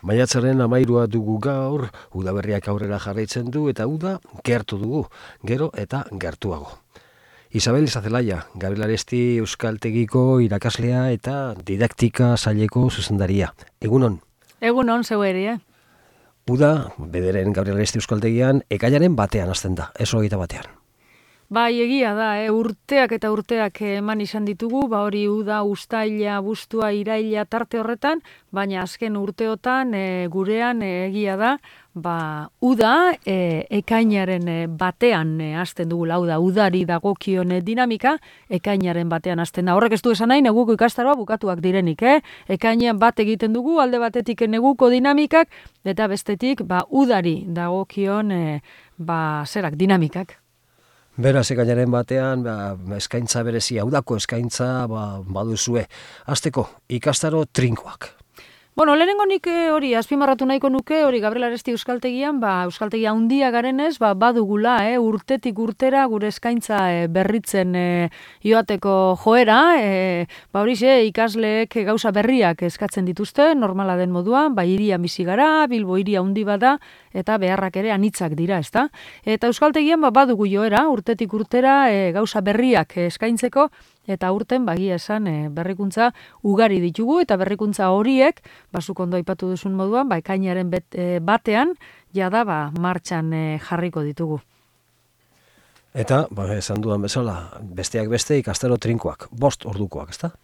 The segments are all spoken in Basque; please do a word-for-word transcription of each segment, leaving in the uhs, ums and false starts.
Maiatzaren hamairua dugu gaur, udaberriak aurrera jarraitzen du eta uda gertu dugu, gero eta gertuago. Isabel Izazelaia, Gabriel Aresti Euskaltegiko irakaslea eta didaktika saileko zuzendaria. Egunon? Egunon, zeu ere, eh? Uda, bederen Gabriel Aresti Euskaltegian, ekainaren batean hasten da, ez hogeita batean. Bai, egia da, eh? urteak eta urteak eman izan ditugu, ba hori uda, uztaila, abuztua, iraila tarte horretan, baina azken urteotan e, gurean e, egia da, ba uda e, ekainaren e, batean e, hasten dugu, hau da, udari dagokion e, dinamika, ekainaren batean hasten da. Horrek ez du esan nahi, neguko ikastaroa bukatuak direnik, eh? Ekainean bat egiten dugu, alde batetik neguko dinamikak, eta bestetik, ba udari dagokion e, ba zerak dinamikak. Beraz, ekainaren batean, ba, eskaintza berezia, udako eskaintza ba, baduzue. Hasteko, ikastaro trinkoak. Bueno, lehenengo nik hori azpimarratu nahiko nuke, hori Gabriel Aresti Euskaltegian, ba, Euskaltegia handia garenez, ba, badugula, eh, urtetik urtera gure eskaintza e, berritzen e, joateko joera, e, ba, hori xe, ikasleek gauza berriak eskatzen dituzte, normala den moduan, ba, hiria bizi gara, Bilbo hiria handi bada, eta beharrak ere anitzak dira, ezta? Eta Euskaltegian ba, badugu joera, urtetik urtera e, gauza berriak eskaintzeko, eta urten bagia esan e, berrikuntza ugari ditugu, eta berrikuntza horiek, basuk ondo aipatu duzun moduan, ba, ekainaren bet, e, batean, jada ba, martxan e, jarriko ditugu. Eta, ba, esan dudan bezala, besteak beste ikastaro trinkoak, bost ordukoak, ezta?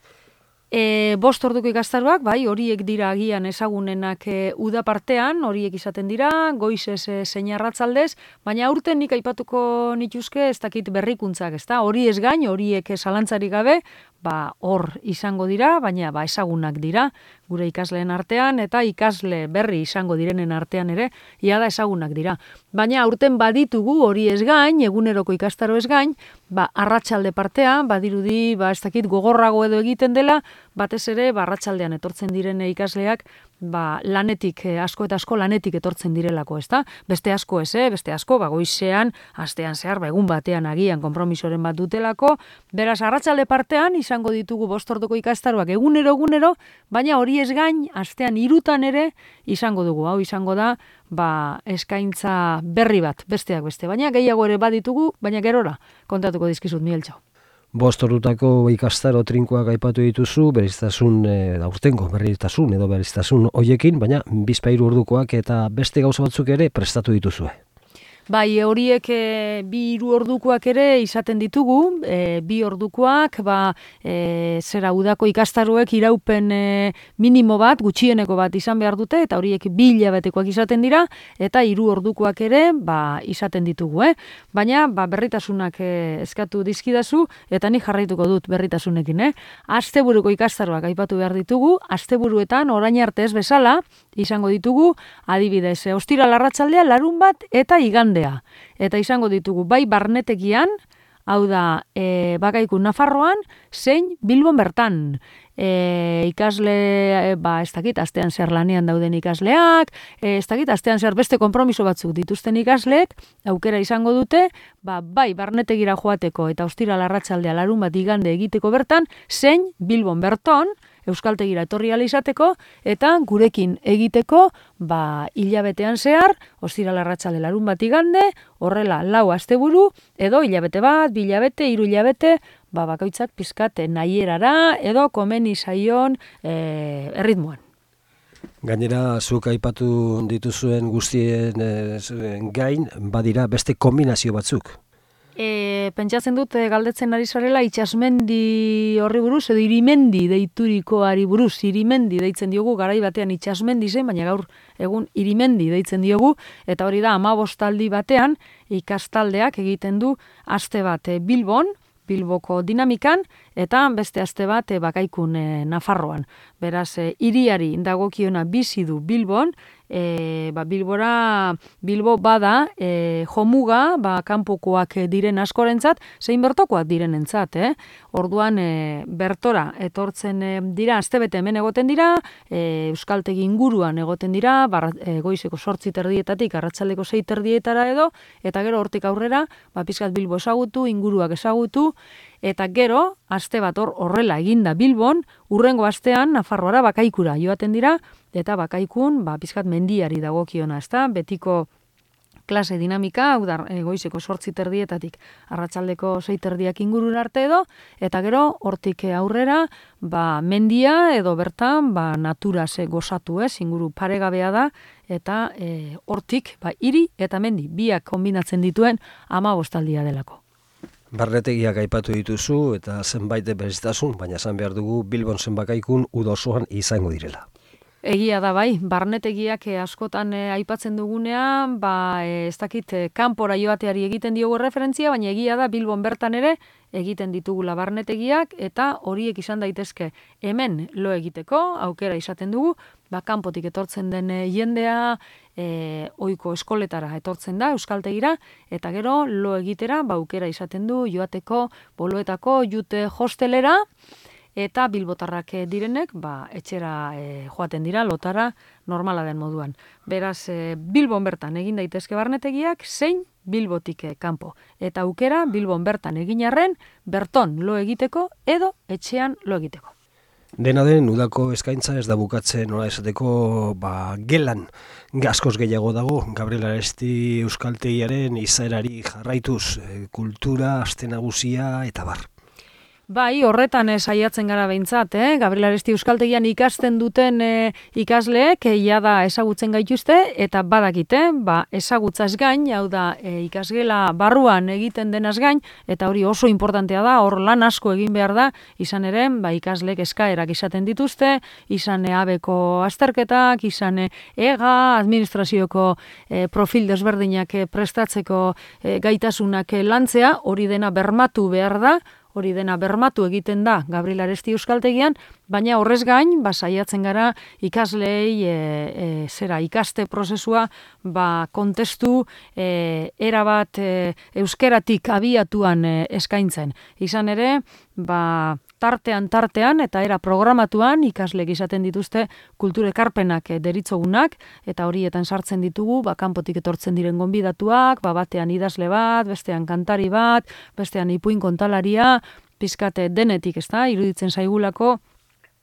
E, bost orduko ikastaroak, bai, horiek dira agian ezagunenak e, uda partean, horiek izaten dira, goizez e, zein arratzaldez, baina aurten nik aipatuko nituzke ez dakit berrikuntzak, ezta? Hori ez gain, horiek zalantzarik gabe, ba hor izango dira, baina ba ezagunak dira gure ikasleen artean eta ikasle berri izango direnen artean ere ia da ezagunak dira. Baina aurten baditugu hori ez gain, eguneroko ikastaro ez gain, ba arratsalde partean badirudi ba ez dakit gogorrago edo egiten dela, batez ere ba arratsaldean etortzen diren ikasleak ba lanetik asko eta asko lanetik etortzen direlako, ezta? Beste asko ez, eh? Beste asko ba goizean, astean zehar ba egun batean agian konpromisoren bat dutelako, beraz arratsalde partean izango ditugu bost orduko ikastaroak egunero egunero, baina hori ez gain astean hirutan ere izango dugu. Hau izango da ba eskaintza berri bat, besteak beste, baina gehiago ere baditugu, baina gerora kontatuko dizkizut Mieltxo. Bost ordutako ikastaro trinkoak aipatu dituzu, beriztasun e, aurtengo berriztasun edo beriztasun hoiekin, baina bizpahiru ordukoak eta beste gauza batzuk ere prestatu dituzue. Bai, horiek e, bi hiru ordukoak ere izaten ditugu, e, bi ordukoak, ba, e, zera udako ikastaroek iraupen e, minimo bat, gutxieneko bat izan behar dute, eta horiek bi hilabetekoak izaten dira, eta hiru ordukoak ere, ba, izaten ditugu, eh? Baina, ba, berritasunak e, eskatu dizkidazu, eta nik jarraituko dut berritasunekin, eh? Asteburuko ikastaroak aipatu behar ditugu, asteburuetan orain arte ez bezala, izango ditugu, adibidez, e, ostiral arratsaldea, larun bat eta igandea. Eta izango ditugu bai barnetegian, hau da e, bakaiku Nafarroan, zein Bilbon bertan. E, ikasle, e, ba, ez dakit, astean zer lanean dauden ikasleak, e, ez dakit, astean zer beste konpromiso batzuk dituzten ikasleek, aukera izango dute, ba, bai barnetegira joateko eta ostiral arratsaldea larun bat igande egiteko bertan, zein Bilbon berton, Euskaltegira etorri ala izateko, eta gurekin egiteko, ba, hilabetean zehar, ostiral arratsalde larun bat igande, horrela lau asteburu, edo hilabete bat, bi hilabete, hiru hilabete, ba, bakoitzak pizkat nahierara, edo komeni zaion e, erritmoan. Gainera, zuk aipatu dituzuen guztien e, gain, badira beste kombinazio batzuk. E, pentsatzen dut e, galdetzen ari zarela itsasmendi horri buruz edo irimendi deiturikoari buruz, irimendi deitzen diogu, garai batean itsasmendi zen, baina gaur egun irimendi deitzen diogu, eta hori da hamabostaldi batean ikastaldeak egiten du aste bat e, Bilbon, Bilboko dinamikan, eta beste aste bat e, bakaikun e, Nafarroan. Beraz, e, hiriari dagokiona bizi du Bilbon, e, ba, Bilbora, Bilbo bada e, jomuga, ba, kanpokoak diren askorentzat, zein bertokoak direnentzat, eh? Orduan, e, bertora etortzen e, dira, astebete hemen egoten dira, e, Euskaltegi inguruan egoten dira, bar, e, goizeko sortzi terdietatik, arratsaldeko sei terdietara edo, eta gero hortik aurrera, ba, pizkat Bilbo ezagutu, inguruak ezagutu, Eta gero, aste bat hor horrela eginda Bilbon, urrengo astean Nafarroara Bakaikura joaten dira, eta Bakaikun, ba, pizkat mendiari dagokiona, ezta? Betiko klase dinamika, hau da, goizeko sortzi terdietatik arratsaldeko sei terdiak ingurura arte edo, eta gero hortik aurrera, ba, mendia edo bertan, ba, natura ze gozatu, ez, inguru paregabea da, eta e, hortik, ba, hiri eta mendi, biak kombinatzen dituen hamabostaldia delako. Barnetegiak aipatu dituzu eta zenbait berezitasun, baina esan behar dugu Bilbon zenbakaikun uda osoan izango direla. Egia da bai, barnetegiak eh, askotan eh, aipatzen dugunean, ba, eh, ez dakit, eh, kanpora joateari egiten diogu referentzia, baina egia da Bilbon bertan ere egiten ditugula barnetegiak, eta horiek izan daitezke hemen lo egiteko, aukera izaten dugu, ba, kanpotik etortzen den eh, jendea, eh, ohiko eskoletara etortzen da, euskaltegira, eta gero lo egitera, ba, aukera izaten du joateko, boloetako, jute hostelera, eta bilbotarrak direnek, ba, etxera e, joaten dira, lotara normala den moduan. Beraz, e, Bilbon bertan egin daitezke barnetegiak, zein Bilbotik e, kanpo. Eta aukera Bilbon bertan egin arren, berton lo egiteko edo etxean lo egiteko. Dena den, udako eskaintza ez da bukatzen, nola esateko, ba, gelan askoz gehiago dago, Gabriel Aresti euskaltegiaren izaerari jarraituz, e, kultura, aste nagusia eta bar. Bai, horretan eh, saiatzen gara behintzat, eh? Gabriel Aresti euskaltegian ikasten duten eh, ikasleek eh, jada ezagutzen gaituzte, eta badakite, ba, ezagutzaz gain, hau da, eh, ikasgela barruan egiten denaz gain, eta hori oso importantea da, hor lan asko egin behar da, izan ere, ba, ikasleek eskaerak izaten dituzte, izan eh, abeko azterketak, izan eh, ega, administrazioko eh, profil desberdinak eh, prestatzeko eh, gaitasunak eh, lantzea, hori dena bermatu behar da, hori dena bermatu egiten da Gabriel Aresti euskaltegian, baina horrez gain, ba, saiatzen gara ikaslei e, e, zera ikaste prozesua, ba, kontestu e, erabat e, euskeratik abiatuan e, eskaintzen. Izan ere, ba, tartean tartean eta era programatuan ikaslek izaten dituzte kulturekarpenak deritzogunak, eta horietan sartzen ditugu, ba, kanpotik etortzen diren gonbidatuak, ba, batean idazle bat, bestean kantari bat, bestean ipuin kontalaria, pizkate denetik, ezta, iruditzen zaigulako,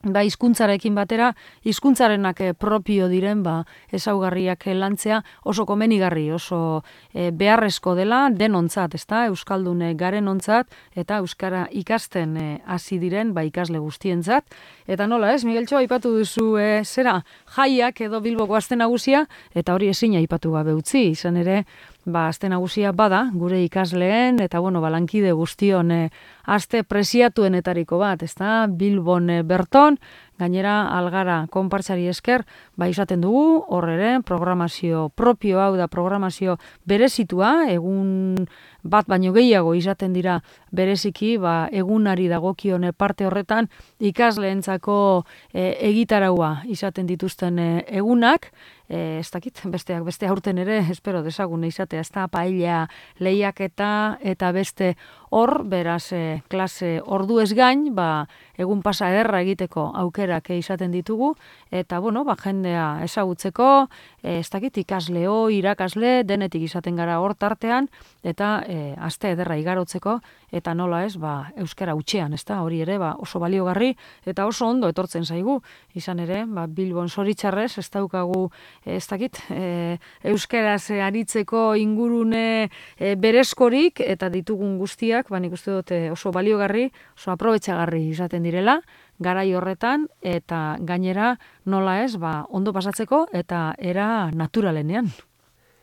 ba, hizkuntzarekin batera, hizkuntzarenak propio diren, ba, ezaugarriak lantzea oso komenigarri, oso e, beharrezko dela denontzat, ezta, euskaldun garenontzat, eta euskara ikasten e, hasi diren, ba, ikasle guztientzat. Eta nola, ez, Migueltxo, aipatu duzu e, zera jaiak edo Bilboko aste nagusia, eta hori ezin aipatu gabe utzi, izan ere, ba, aste nagusia bada, gure ikasleen, eta bueno, balankide guztion e, aste preziatuenetariko bat, ezta, Bilbon e, berton, gainera algara konpartsari esker, ba, izaten dugu, hor ere, programazio propio, hau da, programazio berezitua, egun bat baino gehiago izaten dira bereziki, ba, egunari dagokion parte horretan, ikasleentzako e, egitaraua izaten dituzten e, egunak, e, ez dakit, besteak beste aurten ere, espero desagun izatea, ez da, paella lehiaketa eta beste hor, beraz, e, klase ordu ez gain, ba, egun pasa ederra egiteko aukerak izaten ditugu, eta, bueno, ba, jendea ezagutzeko, e, ez dakit, ikasleo, irakasle, denetik izaten gara hor tartean, eta e, aste ederra igarotzeko, eta nola ez, ba, euskara utxean, ez da, hori ere, ba, oso baliogarri, eta oso ondo etortzen zaigu, izan ere, ba, Bilbon zoritxarrez, ez daukagu, ez dakit, e, euskaraz aritzeko ingurune e, berezkorik, eta ditugun guztiak, ba, nik uste dut oso baliogarri, oso aprobetxagarri izaten direla, garai horretan, eta gainera nola ez, ba, ondo pasatzeko, eta era naturalenean.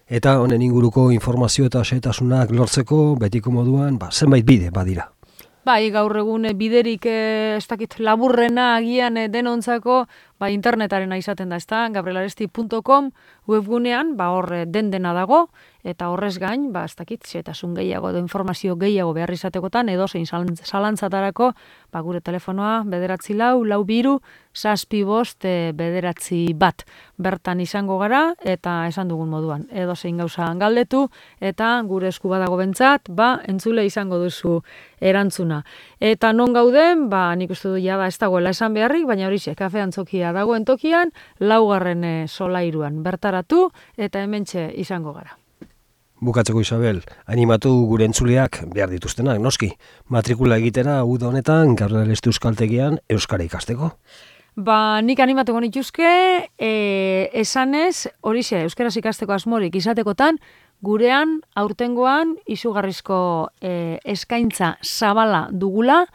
Eta honen inguruko informazio eta xehetasunak lortzeko betiko moduan, ba, zenbait bide badira. Bai, gaur egun biderik ez dakit laburrena agian denontzako, ba, internetarena izaten da, ezta, gabrielaresti puntu com webgunean, ba, hor den dena dago, eta horrez gain, ba, ez dakit, xehetasun gehiago edo informazio gehiago behar izatekotan, edo zein zalantzatarako, ba, gure telefonoa bederatzi lau, lau biru, zazpi bost, e, bederatzi bat. Bertan izango gara, eta esan dugun moduan, edo zein gauza galdetu, eta gure esku badago bentzat, ba, entzule izango duzu erantzuna. Eta non gauden, ba, nik uste du jada ez dagoela esan beharrik, baina hori xe, kafe antzokia dagoen tokian, laugarren solairuan bertaratu, eta hementxe izango gara. Bukatzeko Isabel, animatu gure entzuleak behar dituztenak, noski, matrikula egitera uda honetan Gabriel Euskaltegian euskara ikasteko. Ba, nik animatuko nituzke, e, esanez, horixe, euskaraz ikasteko asmorik izatekotan, gurean, aurtengoan, izugarrizko e, eskaintza zabala dugula,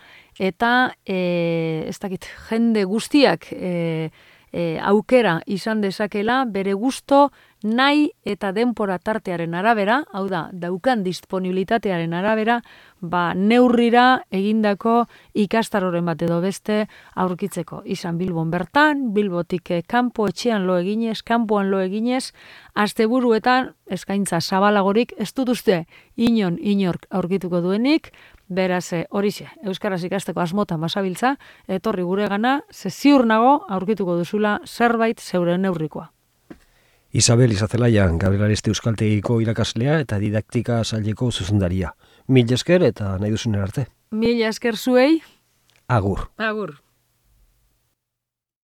eta, e, ez dakit, jende guztiak e, e, aukera izan dezakela, bere gusto, nahi eta denpora tartearen arabera, hau da, daukan disponibilitatearen arabera, ba, neurrira egindako ikastaroren bat edo beste aurkitzeko. Izan Bilbon bertan, Bilbotik kanpo etxean lo eginez, kanpoan lo eginez, asteburuetan eskaintza zabalagorik ez dut uste inon inork aurkituko duenik, beraz horixe, euskaraz ikasteko asmotan basabiltza, etorri guregana, ze ziur nago aurkituko duzula zerbait zeure neurrikoa. Isabel Izazelaia, Gabriel Euskaltegiko irakaslea eta didaktika saileko zuzendaria. Mil esker eta nahi duzunen arte. Mil esker zuei. Agur. Agur.